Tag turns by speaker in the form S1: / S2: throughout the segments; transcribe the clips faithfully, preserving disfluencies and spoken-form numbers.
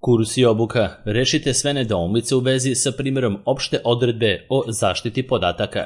S1: Kurs i obuka. Rešite sve nedoumice u vezi sa primjerom opšte odredbe o zaštiti podataka.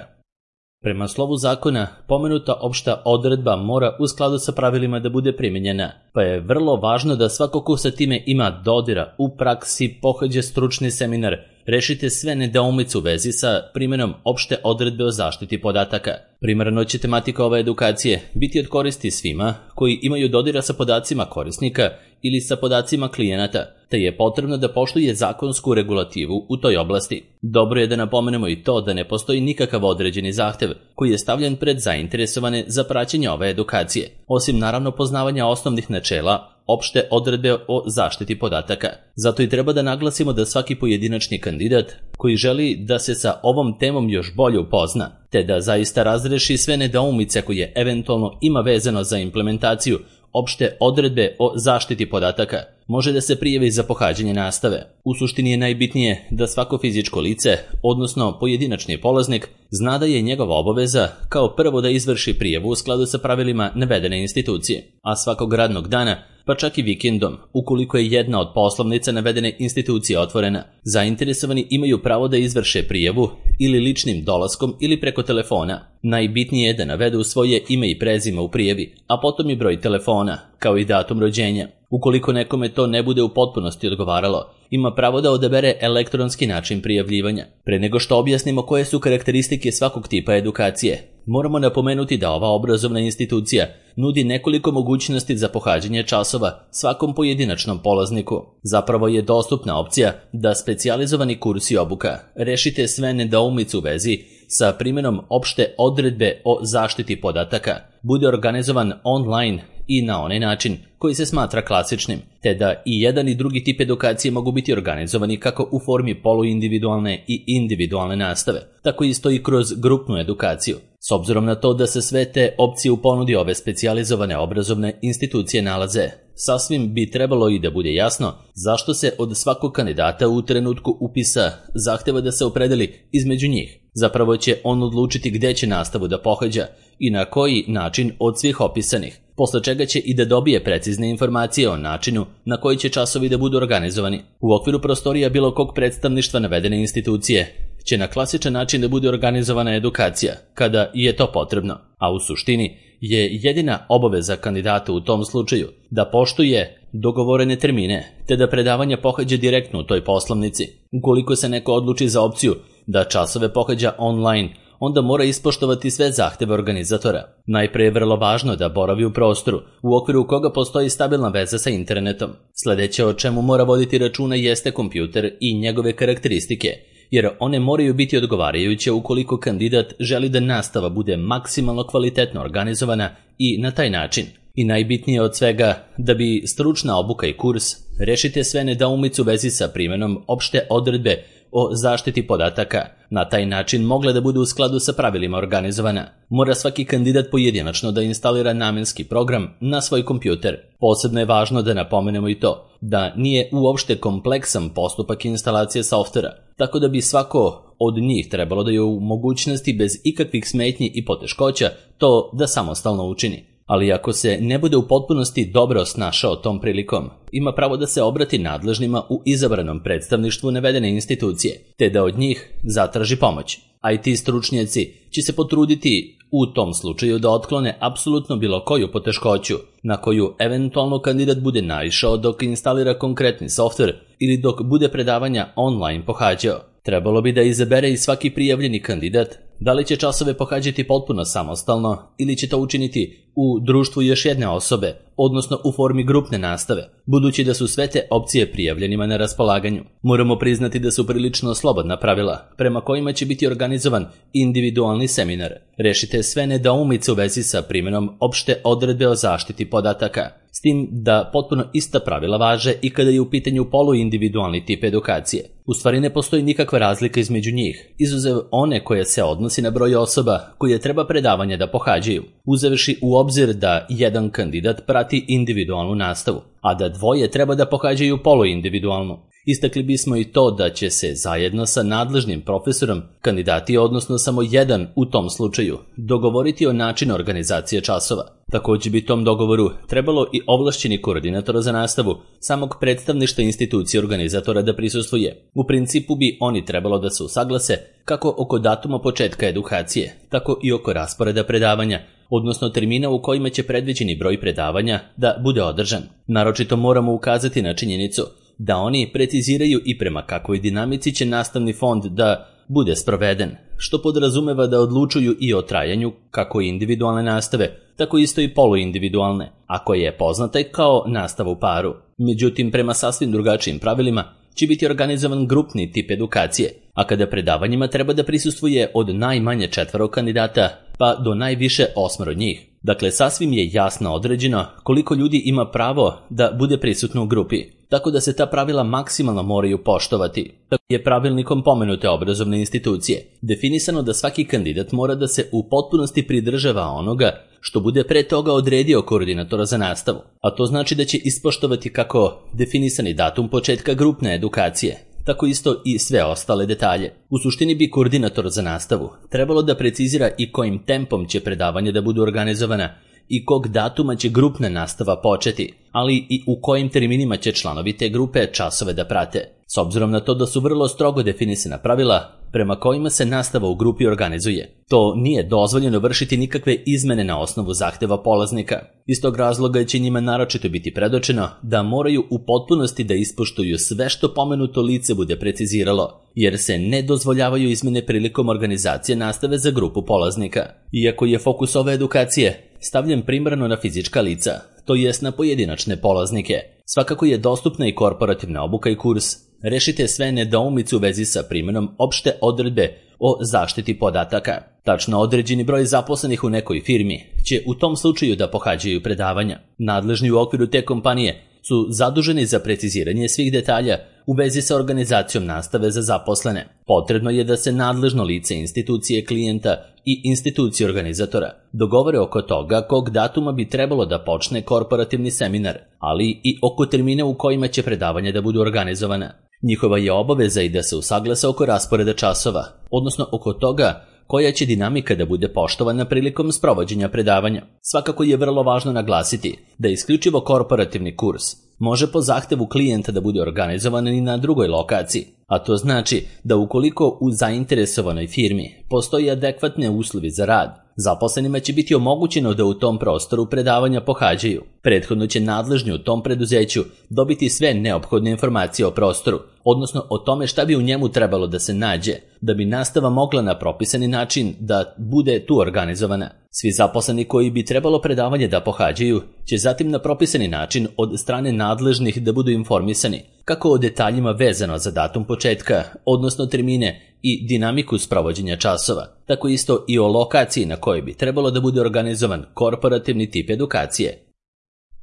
S1: Prema slovu zakona, pomenuta opšta odredba mora u skladu sa pravilima da bude primenjena, pa je vrlo važno da svako ko sa time ima dodira u praksi pohađa stručni seminar. Rešite sve nedoumice u vezi sa primjenom opšte odredbe o zaštiti podataka. Primarno će tematika ove edukacije biti od koristi svima koji imaju dodira sa podacima korisnika ili sa podacima klijenata, te je potrebno da poštuje zakonsku regulativu u toj oblasti. Dobro je da napomenemo i to da ne postoji nikakav određeni zahtev koji je stavljen pred zainteresovane za praćenje ove edukacije, osim naravno poznavanja osnovnih načela opšte odredbe o zaštiti podataka. Zato i treba da naglasimo da svaki pojedinačni kandidat koji želi da se sa ovom temom još bolje upozna, te da zaista razreši sve nedoumice koje eventualno ima vezano za implementaciju opšte odredbe o zaštiti podataka, može da se prijavi za pohađanje nastave. U suštini je najbitnije da svako fizičko lice, odnosno pojedinačni polaznik, zna da je njegova obaveza kao prvo da izvrši prijavu u skladu sa pravilima navedene institucije, a svakog radnog dana, pa čak i vikendom, ukoliko je jedna od poslovnica navedene institucije otvorena, zainteresovani imaju pravo da izvrše prijavu ili ličnim dolaskom ili preko telefona. Najbitnije je da navedu svoje ime i prezime u prijavi, a potom i broj telefona, kao i datum rođenja. Ukoliko nekome to ne bude u potpunosti odgovaralo, ima pravo da odabere elektronski način prijavljivanja. Pre nego što objasnimo koje su karakteristike svakog tipa edukacije, moramo napomenuti da ova obrazovna institucija nudi nekoliko mogućnosti za pohađanje časova svakom pojedinačnom polazniku. Zapravo je dostupna opcija da specijalizovani kurs i obuka rešite sve nedoumice u vezi sa primjenom opšte odredbe o zaštiti podataka bude organizovan online i na onaj način koji se smatra klasičnim, te da i jedan i drugi tip edukacije mogu biti organizovani kako u formi poluindividualne i individualne nastave, tako isto i kroz grupnu edukaciju. S obzirom na to da se sve te opcije u ponudi ove specijalizovane obrazovne institucije nalaze, sasvim bi trebalo i da bude jasno zašto se od svakog kandidata u trenutku upisa zahteva da se opredeli između njih. Zapravo će on odlučiti gde će nastavu da pohađa i na koji način od svih opisanih, posle čega će i da dobije precizne informacije o načinu na koji će časovi da budu organizovani. U okviru prostorija bilo kog predstavništva navedene institucije će na klasičan način da bude organizovana edukacija, kada je to potrebno, a u suštini je jedina obaveza kandidata u tom slučaju da poštuje dogovorene termine, te da predavanja pohađa direktno u toj poslovnici. Ukoliko se neko odluči za opciju da časove pohađa online, onda mora ispoštovati sve zahteve organizatora. Najpre je vrlo važno da boravi u prostoru, u okviru koga postoji stabilna veza sa internetom. Sledeće o čemu mora voditi računa jeste kompjuter i njegove karakteristike, jer one moraju biti odgovarajuće ukoliko kandidat želi da nastava bude maksimalno kvalitetno organizovana i na taj način. I najbitnije od svega, da bi stručna obuka i kurs rešite sve nedoumice u vezi sa primjenom opšte odredbe o zaštiti podataka na taj način mogla da bude u skladu sa pravilima organizovana. Mora svaki kandidat pojedinačno da instalira namenski program na svoj kompjuter. Posebno je važno da napomenemo i to da nije uopšte kompleksan postupak instalacije softvera, tako da bi svako od njih trebalo da je u mogućnosti bez ikakvih smetnji i poteškoća to da samostalno učini. Ali ako se ne bude u potpunosti dobro snašao tom prilikom, ima pravo da se obrati nadležnima u izabranom predstavništvu navedene institucije, te da od njih zatraži pomoć. I T stručnjaci će se potruditi u tom slučaju da otklone apsolutno bilo koju poteškoću na koju eventualno kandidat bude naišao dok instalira konkretni softver ili dok bude predavanja online pohađao. Trebalo bi da izabere i svaki prijavljeni kandidat da li će časove pohađati potpuno samostalno ili će to učiniti u društvu još jedne osobe, odnosno u formi grupne nastave, budući da su sve te opcije prijavljenima na raspolaganju. Moramo priznati da su prilično slobodna pravila, prema kojima će biti organizovan individualni seminar. Rešite sve nedoumice u vezi sa primjenom opšte odredbe o zaštiti podataka, s tim da potpuno ista pravila važe i kada je u pitanju poluindividualni tip edukacije. U stvari ne postoji nikakva razlika između njih, izuzev one koje se odnosi na broj osoba koje treba predavanje da pohađaju, uzevši u obzir da jedan kandidat prati individualnu nastavu, a da dvoje treba da pohađaju poluindividualnu. Istakli bismo i to da će se zajedno sa nadležnim profesorom kandidati, odnosno samo jedan u tom slučaju, dogovoriti o načinu organizacije časova. Također bi tom dogovoru trebalo i ovlašćeni koordinatora za nastavu samog predstavništva institucije organizatora da prisustvuje. U principu bi oni trebalo da se usaglase kako oko datuma početka edukacije, tako i oko rasporeda predavanja, odnosno termina u kojima će predviđeni broj predavanja da bude održan. Naročito moramo ukazati na činjenicu da oni preciziraju i prema kakvoj dinamici će nastavni fond da bude sproveden, što podrazumeva da odlučuju i o trajanju kako individualne nastave, tako isto i poluindividualne, a koja je poznata i kao nastava u paru. Međutim, prema sasvim drugačijim pravilima će biti organizovan grupni tip edukacije, a kada predavanjima treba da prisustvuje od najmanje četvoro kandidata pa do najviše osmero njih. Dakle, sasvim je jasno određeno koliko ljudi ima pravo da bude prisutno u grupi, tako da se ta pravila maksimalno moraju poštovati. Tako je pravilnikom pomenute obrazovne institucije definisano da svaki kandidat mora da se u potpunosti pridržava onoga što bude pre toga odredio koordinatora za nastavu, a to znači da će ispoštovati kako definisani datum početka grupne edukacije, tako isto i sve ostale detalje. U suštini bi koordinator za nastavu trebalo da precizira i kojim tempom će predavanje da budu organizovana i kog datuma će grupna nastava početi, ali i u kojim terminima će članovi te grupe časove da prate. S obzirom na to da su vrlo strogo definisana pravila prema kojima se nastava u grupi organizuje, to nije dozvoljeno vršiti nikakve izmene na osnovu zahteva polaznika. Iz tog razloga će njima naročito biti predočeno da moraju u potpunosti da ispoštuju sve što pomenuto lice bude preciziralo, jer se ne dozvoljavaju izmene prilikom organizacije nastave za grupu polaznika. Iako je fokus ove edukacije stavljen primarno na fizička lica, to jest na pojedinačne polaznike, svakako je dostupna i korporativna obuka i kurs. Rešite sve nedoumice u vezi sa primjenom opšte odredbe o zaštiti podataka. Tačno određeni broj zaposlenih u nekoj firmi će u tom slučaju da pohađaju predavanja. Nadležni u okviru te kompanije su zaduženi za preciziranje svih detalja u vezi sa organizacijom nastave za zaposlene. Potrebno je da se nadležno lice institucije klijenta i institucije organizatora dogovore oko toga kog datuma bi trebalo da počne korporativni seminar, ali i oko termina u kojima će predavanja da budu organizovana. Njihova je obaveza i da se usaglase oko rasporeda časova, odnosno oko toga koja će dinamika da bude poštovana prilikom sprovođenja predavanja. Svakako je vrlo važno naglasiti da isključivo korporativni kurs može po zahtevu klijenta da bude organizovan i na drugoj lokaciji, a to znači da ukoliko u zainteresovanoj firmi postoji adekvatne uslovi za rad, zaposlenima će biti omogućeno da u tom prostoru predavanja pohađaju. Prethodno će nadležni u tom preduzeću dobiti sve neophodne informacije o prostoru, odnosno o tome šta bi u njemu trebalo da se nađe, da bi nastava mogla na propisani način da bude tu organizovana. Svi zaposleni koji bi trebalo predavanje da pohađaju će zatim na propisani način od strane nadležnih da budu informisani kako o detaljima vezano za datum početka, odnosno termine i dinamiku sprovođenja časova, tako isto i o lokaciji na kojoj bi trebalo da bude organizovan korporativni tip edukacije.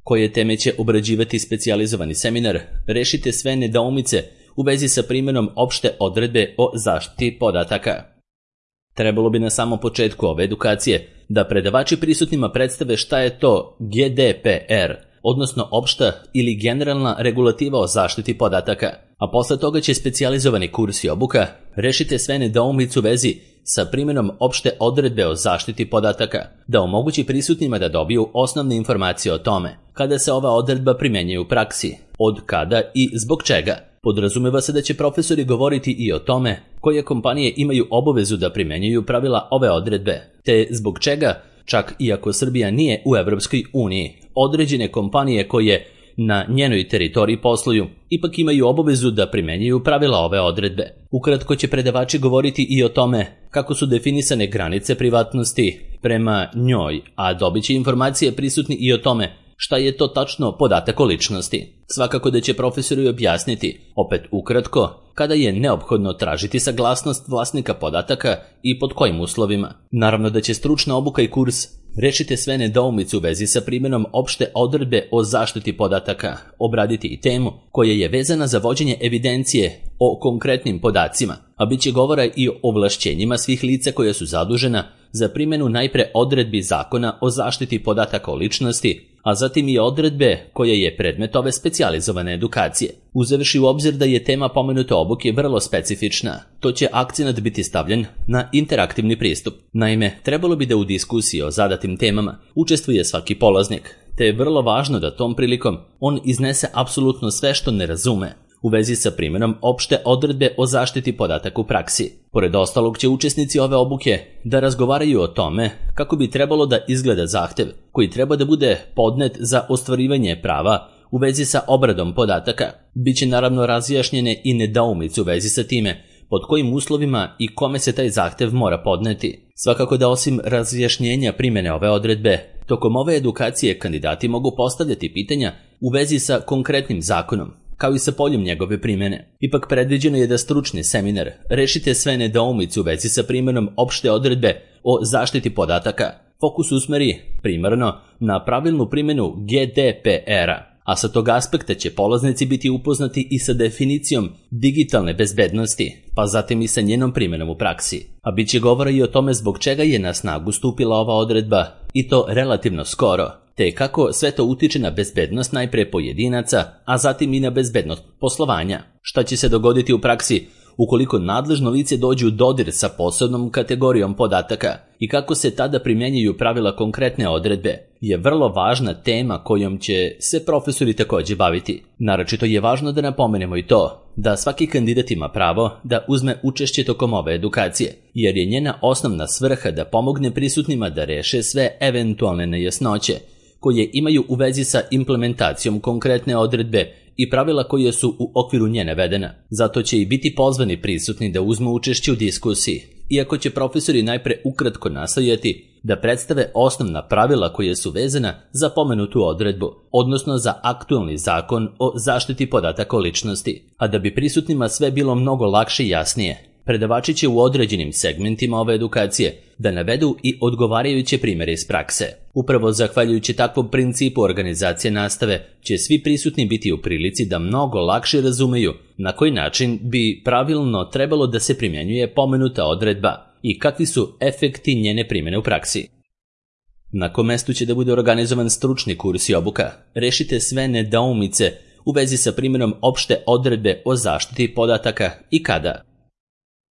S1: Koje teme će obrađivati specijalizovani seminar, rešite sve nedoumice u vezi sa primjenom opšte odredbe o zaštiti podataka. Trebalo bi na samom početku ove edukacije da predavači prisutnima predstave šta je to G D P R, odnosno opšta ili generalna regulativa o zaštiti podataka, a posle toga će specijalizovani kurs i obuka rešite sve nedoumice u vezi sa primjenom opšte odredbe o zaštiti podataka, da omogući prisutnima da dobiju osnovne informacije o tome kada se ova odredba primjenjuje u praksi, od kada i zbog čega. Podrazumeva se da će profesori govoriti i o tome koje kompanije imaju obavezu da primjenjuju pravila ove odredbe, te zbog čega, čak iako Srbija nije u Evropskoj uniji, određene kompanije koje na njenoj teritoriji posluju ipak imaju obavezu da primjenjuju pravila ove odredbe. Ukratko će predavači govoriti i o tome kako su definisane granice privatnosti prema njoj, a dobit će informacije prisutni i o tome šta je to tačno podatak o ličnosti. Svakako da će profesori objasniti, opet ukratko, kada je neophodno tražiti saglasnost vlasnika podataka i pod kojim uslovima. Naravno da će stručna obuka i kurs rešite sve nedoumice u vezi sa primjenom opšte odredbe o zaštiti podataka, obraditi i temu koja je vezana za vođenje evidencije o konkretnim podacima, a bit će govora i o ovlašćenjima svih lica koja su zadužena za primjenu najpre odredbi zakona o zaštiti podataka o ličnosti, a zatim i odredbe koje je predmet ove specijalizovane edukacije. Uzevši u obzir da je tema pomenute obuke vrlo specifična, to će akcenat biti stavljen na interaktivni pristup. Naime, trebalo bi da u diskusiji o zadatim temama učestvuje svaki polaznik, te je vrlo važno da tom prilikom on iznese apsolutno sve što ne razume u vezi sa primjenom opšte odredbe o zaštiti podataka u praksi. Pored ostalog će učesnici ove obuke da razgovaraju o tome kako bi trebalo da izgleda zahtev koji treba da bude podnet za ostvarivanje prava u vezi sa obradom podataka. Biće naravno razjašnjene i nedoumice u vezi sa time pod kojim uslovima i kome se taj zahtev mora podneti. Svakako da osim razjašnjenja primjene ove odredbe, tokom ove edukacije kandidati mogu postavljati pitanja u vezi sa konkretnim zakonom, kao i sa poljem njegove primjene. Ipak predviđeno je da stručni seminar Rešite sve nedoumice u vezi sa primjenom opšte odredbe o zaštiti podataka fokus usmeri primarno na pravilnu primjenu G D P R-a, a sa tog aspekta će polaznici biti upoznati i sa definicijom digitalne bezbednosti, pa zatim i sa njenom primjenom u praksi. A bit će govora i o tome zbog čega je na snagu stupila ova odredba, i to relativno skoro, te kako sve to utiče na bezbednost najpre pojedinaca, a zatim i na bezbednost poslovanja. Šta će se dogoditi u praksi ukoliko nadležno lice dođe u dodir sa posebnom kategorijom podataka i kako se tada primjenjuju pravila konkretne odredbe, je vrlo važna tema kojom će se profesori također baviti. Naročito je važno da napomenemo i to da svaki kandidat ima pravo da uzme učešće tokom ove edukacije, jer je njena osnovna svrha da pomogne prisutnima da reše sve eventualne nejasnoće koje imaju u vezi sa implementacijom konkretne odredbe i pravila koje su u okviru nje navedena. Zato će i biti pozvani prisutni da uzmu učešće u diskusiji, iako će profesori najpre ukratko nastojati da predstave osnovna pravila koje su vezana za pomenutu odredbu, odnosno za aktualni zakon o zaštiti podataka o ličnosti. A da bi prisutnima sve bilo mnogo lakše i jasnije, predavači će u određenim segmentima ove edukacije da navedu i odgovarajuće primjere iz prakse. Upravo zahvaljujući takvom principu organizacije nastave će svi prisutni biti u prilici da mnogo lakše razumeju na koji način bi pravilno trebalo da se primjenjuje pomenuta odredba i kakvi su efekti njene primjene u praksi. Na kom mestu će da bude organizovan stručni kurs i obuka Rešite sve nedoumice u vezi sa primjenom opšte odredbe o zaštiti podataka i kada.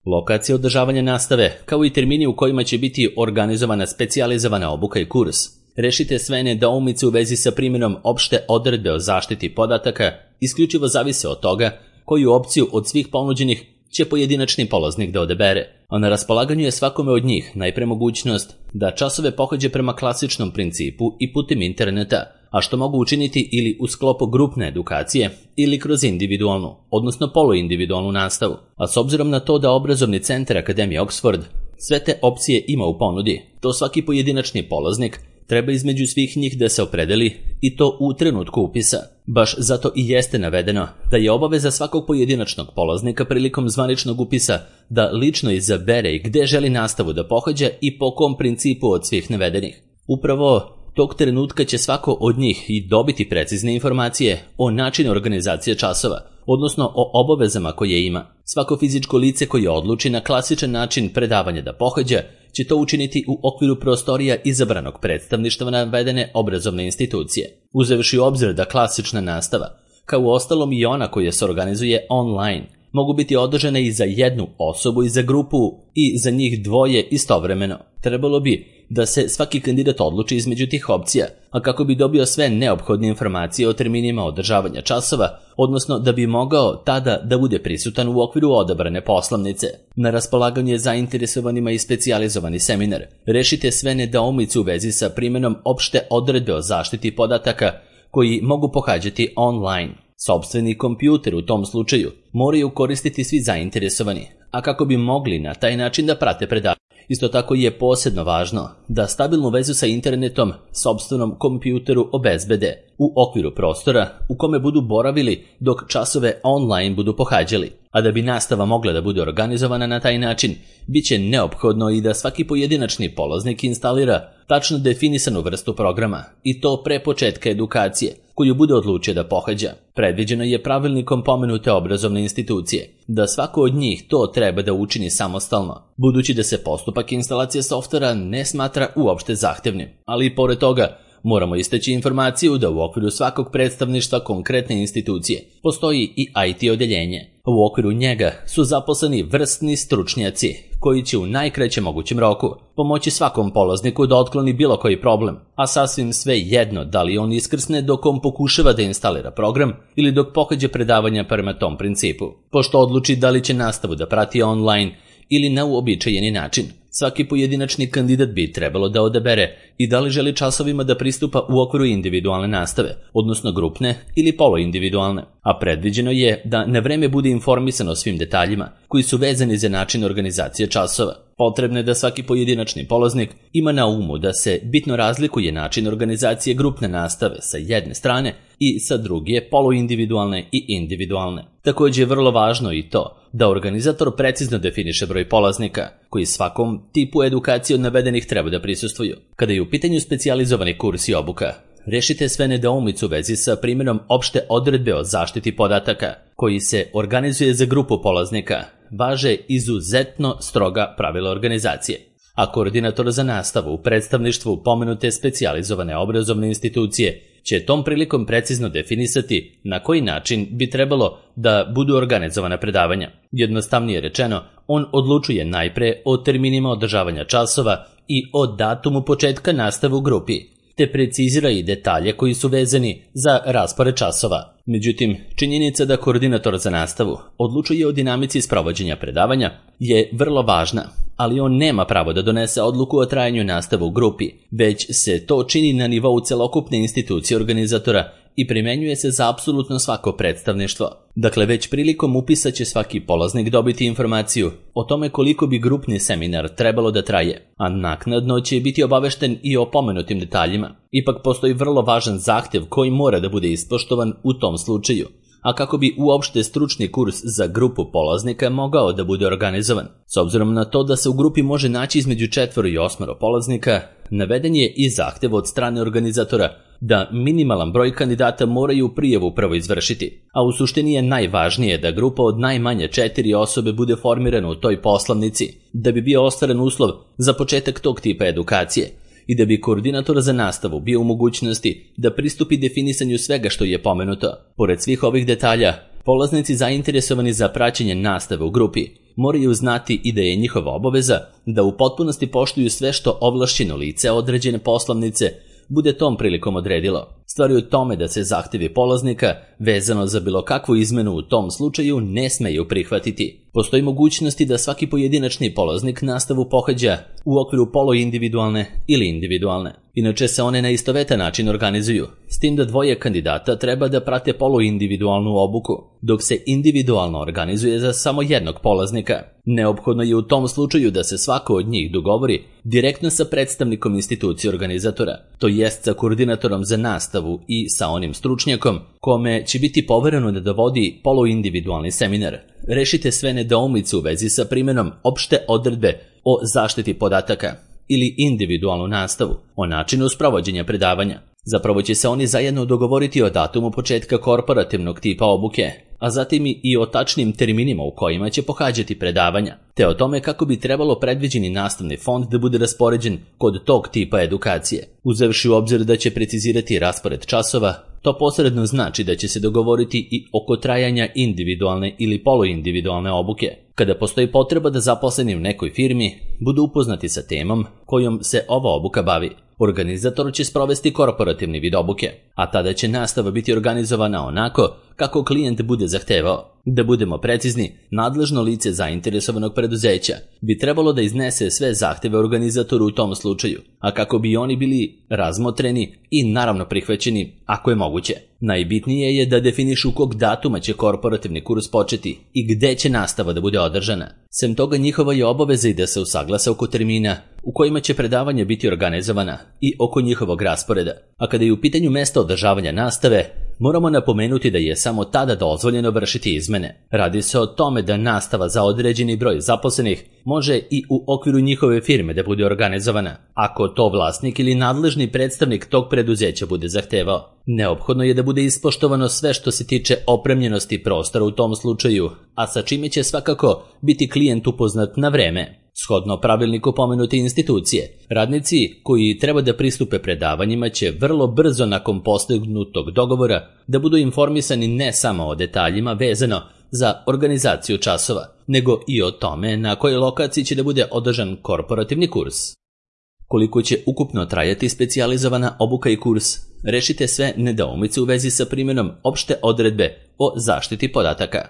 S1: Lokacija održavanja nastave, kao i termini u kojima će biti organizovana specijalizovana obuka i kurs Rešite sve nedoumice u vezi sa primjenom opšte odredbe o zaštiti podataka isključivo zavise od toga koju opciju od svih ponuđenih će pojedinačni polaznik da odabere, a na raspolaganju je svakome od njih najpre mogućnost da časove pohađa prema klasičnom principu i putem interneta, a što mogu učiniti ili u sklopu grupne edukacije ili kroz individualnu, odnosno poluindividualnu nastavu. A s obzirom na to da obrazovni centar Akademije Oxford sve te opcije ima u ponudi, to svaki pojedinačni polaznik treba između svih njih da se opredeli i to u trenutku upisa. Baš zato i jeste navedeno da je obaveza svakog pojedinačnog polaznika prilikom zvaničnog upisa da lično izabere i gde želi nastavu da pohađa i po kom principu od svih navedenih. Upravo tog trenutka će svako od njih i dobiti precizne informacije o načinu organizacije časova, odnosno o obavezama koje ima. Svako fizičko lice koje odluči na klasičan način predavanja da pohađa će to učiniti u okviru prostorija izabranog predstavništva navedene obrazovne institucije. Uzevši u obzir da klasična nastava, kao u ostalom i ona koja se organizuje online, mogu biti održane i za jednu osobu i za grupu i za njih dvoje istovremeno. Trebalo bi da se svaki kandidat odluči između tih opcija, a kako bi dobio sve neophodne informacije o terminima održavanja časova, odnosno da bi mogao tada da bude prisutan u okviru odabrane poslovnice. Na raspolaganju je zainteresovanima i specijalizovani seminar Rešite sve nedoumice u vezi sa primjenom opšte odredbe o zaštiti podataka koji mogu pohađati online. Sopstveni kompjuter u tom slučaju moraju koristiti svi zainteresovani, a kako bi mogli na taj način da prate predavanje. Isto tako je posebno važno da stabilnu vezu sa internetom sopstvenom kompjuteru obezbede u okviru prostora u kome budu boravili dok časove online budu pohađali. A da bi nastava mogla da bude organizovana na taj način, bit će neophodno i da svaki pojedinačni polaznik instalira tačno definisanu vrstu programa, i to pre početka edukacije koju bude odlučio da pohađa. Predviđeno je pravilnikom pomenute obrazovne institucije da svako od njih to treba da učini samostalno, budući da se postupak instalacije softvera ne smatra uopšte zahtevnim. Ali i pored toga, moramo istaći informaciju da u okviru svakog predstavništva konkretne institucije postoji i I T odeljenje. U okviru njega su zaposleni vrsni stručnjaci koji će u najkraćem mogućem roku pomoći svakom polazniku da otkloni bilo koji problem, a sasvim sve jedno da li on iskrsne dok on pokušava da instalira program ili dok pohađa predavanja prema tom principu. Pošto odluči da li će nastavu da prati online ili na uobičajeni način, svaki pojedinačni kandidat bi trebalo da odabere i da li želi časovima da pristupa u okviru individualne nastave, odnosno grupne ili poloindividualne, a predviđeno je da na vreme bude informisan o svim detaljima koji su vezani za način organizacije časova. Potrebno je da svaki pojedinačni polaznik ima na umu da se bitno razlikuje način organizacije grupne nastave sa jedne strane i sa druge poluindividualne i individualne. Također je vrlo važno i to da organizator precizno definiše broj polaznika koji svakom tipu edukacije od navedenih treba da prisustvuju. Kada je u pitanju specijalizovani kurs i obuka, rešite sve nedoumice u vezi sa primjenom opšte odredbe o zaštiti podataka koji se organizuje za grupu polaznika. Važe izuzetno stroga pravila organizacije, a koordinator za nastavu u predstavništvu pomenute specijalizovane obrazovne institucije će tom prilikom precizno definisati na koji način bi trebalo da budu organizovana predavanja. Jednostavnije rečeno, on odlučuje najpre o terminima održavanja časova i o datumu početka nastave u grupi, te precizira i detalje koji su vezani za raspored časova. Međutim, činjenica da koordinator za nastavu odlučuje o dinamici sprovođenja predavanja je vrlo važna, ali on nema pravo da donese odluku o trajanju nastave u grupi, već se to čini na nivou celokupne institucije organizatora i primenjuje se za apsolutno svako predstavništvo. Dakle, već prilikom upisa će svaki polaznik dobiti informaciju o tome koliko bi grupni seminar trebalo da traje, a naknadno će biti obavešten i o pomenutim detaljima. Ipak postoji vrlo važan zahtev koji mora da bude ispoštovan u tom slučaju, a kako bi uopšte stručni kurs za grupu polaznika mogao da bude organizovan. S obzirom na to da se u grupi može naći između četvoro i osmero polaznika, naveden je i zahtev od strane organizatora da minimalan broj kandidata moraju prijavu prvo izvršiti, a u suštini je najvažnije da grupa od najmanje četiri osobe bude formirana u toj poslanici, da bi bio ostvaren uslov za početak tog tipa edukacije i da bi koordinator za nastavu bio u mogućnosti da pristupi definisanju svega što je pomenuto. Pored svih ovih detalja, polaznici zainteresovani za praćenje nastave u grupi moraju znati i da je njihova obaveza da u potpunosti poštuju sve što ovlašćeno lice određene poslovnice bude tom prilikom odredilo. Stvar je u tome da se zahtevi polaznika vezano za bilo kakvu izmenu u tom slučaju ne smeju prihvatiti. Postoji mogućnosti da svaki pojedinačni polaznik nastavu pohađa u okviru poluindividualne ili individualne. Inače se one na istovetan način organizuju, s tim da dvoje kandidata treba da prate poluindividualnu obuku, dok se individualno organizuje za samo jednog polaznika. Neophodno je u tom slučaju da se svako od njih dogovori direktno sa predstavnikom institucije organizatora, to jest sa koordinatorom za nastavu i sa onim stručnjakom kome će biti povereno da dovodi poluindividualni seminar. Rešite sve nedoumice u vezi sa primjenom opšte odredbe o zaštiti podataka ili individualnu nastavu, o načinu sprovođenja predavanja. Zapravo će se oni zajedno dogovoriti o datumu početka korporativnog tipa obuke, a zatim i o tačnim terminima u kojima će pohađati predavanja, te o tome kako bi trebalo predviđeni nastavni fond da bude raspoređen kod tog tipa edukacije. Uzevši u obzir da će precizirati raspored časova, to posredno znači da će se dogovoriti i oko trajanja individualne ili poluindividualne obuke. Kada postoji potreba da zaposleni u nekoj firmi budu upoznati sa temom kojom se ova obuka bavi, organizator će sprovesti korporativni vid obuke, a tada će nastava biti organizovana onako kako klijent bude zahtevao. Da budemo precizni, nadležno lice zainteresovanog preduzeća bi trebalo da iznese sve zahteve organizatoru u tom slučaju, a kako bi oni bili razmotreni i naravno prihvaćeni ako je moguće. Najbitnije je da definišu kog datuma će korporativni kurs početi i gde će nastava da bude održana. Sem toga, njihova je obaveza i da se usaglase oko termina u kojima će predavanja biti organizovana i oko njihovog rasporeda. A kada je u pitanju mesta održavanja nastave, moramo napomenuti da je samo tada dozvoljeno vršiti izmene. Radi se o tome da nastava za određeni broj zaposlenih može i u okviru njihove firme da bude organizovana, ako to vlasnik ili nadležni predstavnik tog preduzeća bude zahtevao. Neophodno je da bude ispoštovano sve što se tiče opremljenosti prostora u tom slučaju, a sa čime će svakako biti klijent upoznat na vreme. Shodno pravilniku pomenute institucije, radnici koji treba da pristupe predavanjima će vrlo brzo nakon postignutog dogovora da budu informisani ne samo o detaljima vezano za organizaciju časova, nego i o tome na kojoj lokaciji će da bude održan korporativni kurs. Koliko će ukupno trajati specijalizovana obuka i kurs, rešite sve nedoumice u vezi sa primjenom opšte odredbe o zaštiti podataka.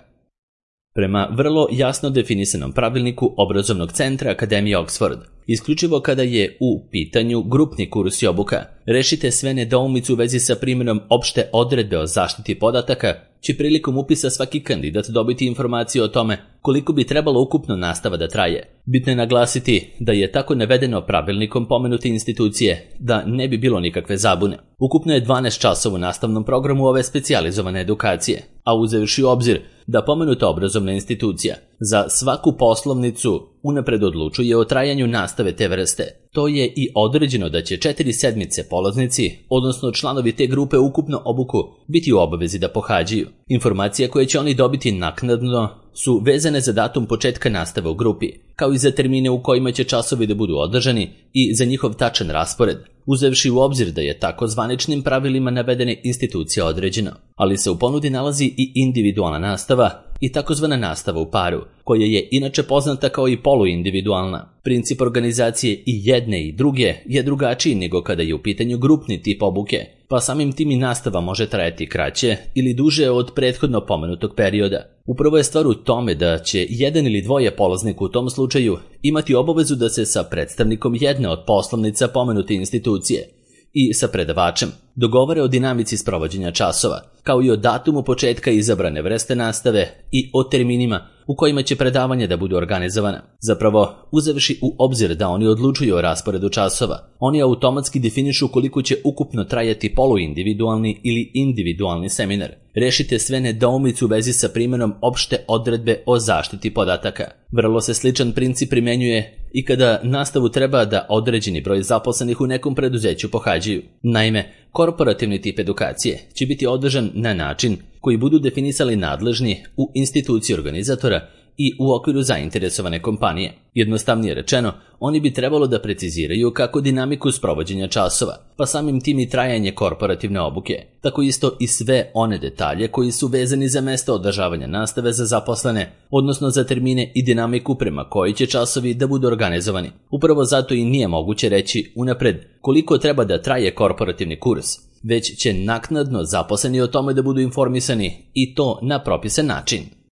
S1: Prema vrlo jasno definisanom pravilniku obrazovnog centra Akademije Oxford, isključivo kada je u pitanju grupni kurs i obuka, rešite sve nedoumice u vezi sa primjenom opšte odredbe o zaštiti podataka, će prilikom upisa svaki kandidat dobiti informaciju o tome koliko bi trebalo ukupno nastava da traje. Bitno je naglasiti da je tako navedeno pravilnikom pomenute institucije da ne bi bilo nikakve zabune. Ukupno je dvanaest časova u nastavnom programu ove specijalizovane edukacije, a uzevši u obzir da pomenuta obrazovna institucija za svaku poslovnicu unapred odlučuje o trajanju nastave te vrste, to je i određeno da će četiri sedmice polaznici, odnosno članovi te grupe ukupno obuku, biti u obavezi da pohađaju. Informacije koje će oni dobiti naknadno su vezane za datum početka nastave u grupi, kao i za termine u kojima će časovi da budu održani i za njihov tačan raspored, uzevši u obzir da je tako zvaničnim pravilima navedene institucije određeno. Ali se u ponudi nalazi i individualna nastava i takozvana nastava u paru, koja je inače poznata kao i poluindividualna. Princip organizacije i jedne i druge je drugačiji nego kada je u pitanju grupni tip obuke, pa samim tim i nastava može trajati kraće ili duže od prethodno pomenutog perioda. Upravo je stvar u tome da će jedan ili dvoje polaznika u tom slučaju imati obavezu da se sa predstavnikom jedne od poslovnica pomenute institucije i sa predavačem dogovore o dinamici sprovođenja časova, kao i o datumu početka izabrane vrste nastave i o terminima u kojima će predavanja da budu organizovana. Zapravo, uzevši u obzir da oni odlučuju o rasporedu časova, oni automatski definišu koliko će ukupno trajati poluindividualni ili individualni seminar. Rešite sve nedoumice u vezi sa primjenom opšte odredbe o zaštiti podataka. Vrlo se sličan princip primenjuje i kada nastavu treba da određeni broj zaposlenih u nekom preduzeću pohađaju. Naime, korporativni tip edukacije će biti održan na način koji budu definisali nadležni u instituciji organizatora i u okviru zainteresovane kompanije. Jednostavnije rečeno, oni bi trebalo da preciziraju kako dinamiku sprovođenja časova, pa samim tim i trajanje korporativne obuke, tako isto i sve one detalje koji su vezani za mesto održavanja nastave za zaposlene, odnosno za termine i dinamiku prema koji će časovi da budu organizovani. Upravo zato i nije moguće reći unapred koliko treba da traje korporativni kurs, već će naknadno zaposleni o tome da budu informisani i to na propisan način.